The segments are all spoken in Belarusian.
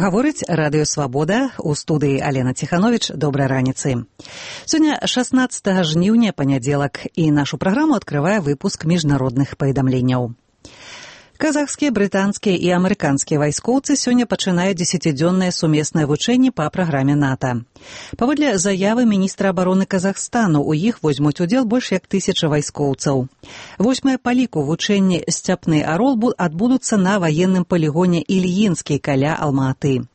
Гаворыць радыё «Свабода», у студыі Алена Ціхановіч. Добрай раніцы. Сёння 16 жніўня, панядзелак, і нашу праграму адкрывае выпуск міжнародных паведамленняў. Казахскія, брытанскія і амерыканскія вайскоўцы сёння пачынаюць 10-дзённае сумеснае вучэнне па праграме НАТО. Паводле заявы міністра абароны Казахстану, у іх возьмуць удзел больш як 1000 вайскоўцаў. 8-е па ліку вучэнні «Сцяпны арол» адбудуцца на ваенным палігоне Ільінскі каля Алма-Аты.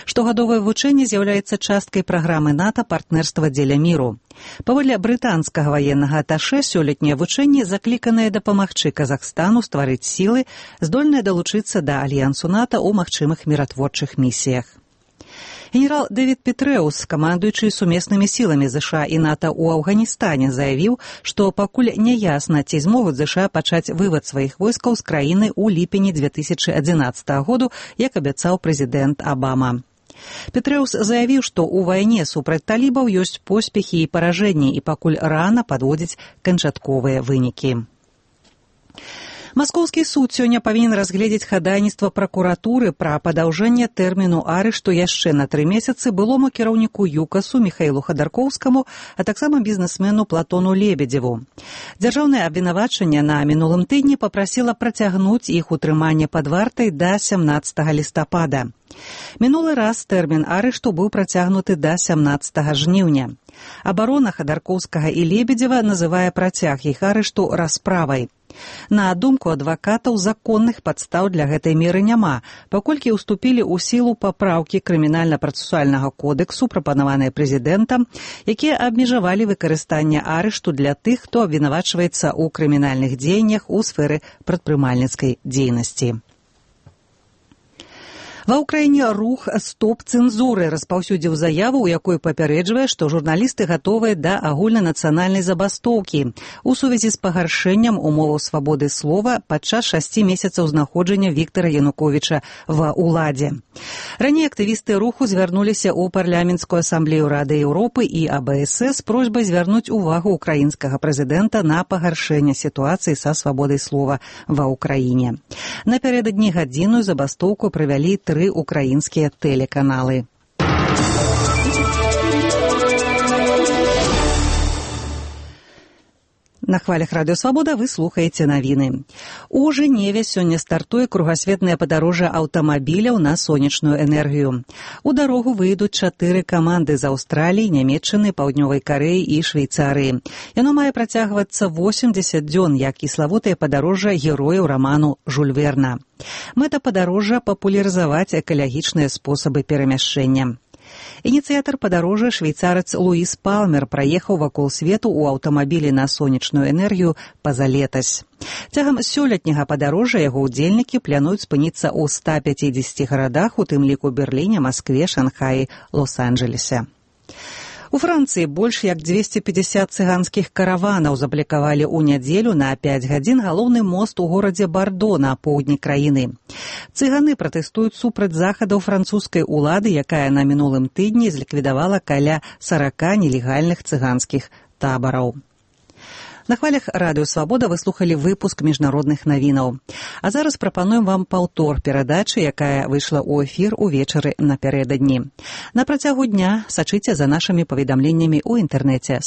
Штогадовае вучэнне з'яўляецца часткай праграмы НАТО «Партнерства дзеля міру». Паводле брытанскага ваеннага аташэ, сёлетнія вучэнні закліканыя дапамагчы Казахстану стварыць сілы, здольныя далучыцца да альянсу НАТО ў магчымых міратворчых місіях. Генерал Дэвід Петрэус, камандуючы сумеснымі сіламі ЗША і НАТО ў Афганістане, заявіў, што пакуль няясна, ці змогуць ЗША пачаць вывад сваіх войскаў з краіны ў ліпені 2011 году, як абяцаў прэзідэнт Абама. Петрэус заявіў, што ў вайне супраць талібаў ёсць поспехі і паражэнні, і пакуль рана падводзіць канчатковыя вынікі. Маскоўскі суд сёння павінен разгледзець хадайніцтва пракуратуры пра падаўжэнне тэрміну арышту яшчэ на 3 месяцы былому кіраўніку ЮКАСу Міхаілу Хадаркоўскаму, а таксама бізнесмену Платону Лебедзеву. Дзяржаўнае абвінавачанне на мінулым тыдні папрасіла працягнуць іх утрыманне пад вартай да 17 лістапада. Мінулы раз тэрмін арышту быў працягнуты да 17 жніўня. Абарона Хадаркоўскага і Лебедзева называе працяг іх арышту расправай. На думку адвакатаў, законных падстаў для гэтай меры няма, паколькі ўступілі ў сілу папраўкі крымінальна-працэсуальнага кодексу, прапанаваныя прэзідэнтам, якія абмежавалі выкарыстанне арышту для тых, хто абвінавачваецца ў крымінальных дзеяннях у сферы прадпрымальніцкай дзейнасці. Ва ўкраіне рух «Стоп цэнзуры» распаўсюдзіў заяву, у якой папярэджвае, што журналісты гатовыя да агульнанацыянальнай забастоўкі у сувязі з пагаршэннем умоваў свабоды слова падчас 6 месяцаў знаходжання Віктара Януковіча ва ўладзе. Раней актывісты руху звярнуліся ў парламенцкую асамблею Рады Еўропы і АБС з просьбай звярнуць увагу ўкраінскага прэзідэнта на пагаршэнне сітуацыі са свабодай слова ва ўкраіне. Напярэдадні гадзінную забастоўку правялі 3 украінскія тэлеканалы. На хвалях радыё «Свабода» вы слухаеце навіны. У Жэневе сёння стартуе кругасветнае падарожжа аўтамабіляў на сонечную энергію. У дарогу выйдуць 4 каманды з Аўстраліі, Нямецчыны, Паўднёвай Карэі і Швейцарыі. Яно мае працягвацца 80 дзён, як і славутае падарожжа герояў раману Жюль Верна. Мэта падарожжа – папулярызаваць экалагічныя спосабы перамяшчэння. Ініцыятар падарожжа, швейцарац Луіс Палмер, праехаў вакол свету ў аўтамабілі на сонечную энергію пазалетась. Цягам сёлетняга падарожжа яго ўдзельнікі плануюць спыніцца ў 150 гарадах, у тым ліку Берліне, Маскве, Шанхаі, Лос-Анджелесе. У Францыі больш як 250 цыганскіх караванаў заблакавалі ў нядзелю на 5 гадзін галоўны мост у горадзе Бардо на поўдні краіны. Цыганы пратэстуюць супраць захадаў французскай улады, якая на мінулым тыдні зліквідавала каля 40 нелегальных цыганскіх табараў. На хвалях радыё «Свабода» вы слухалі выпуск міжнародных навінаў. А зараз прапануем вам паўтор перадачы, якая выйшла ў эфір увечары напярэдадні. На працягу дня сачыце за нашымі паведамленнямі ў інтэрнэце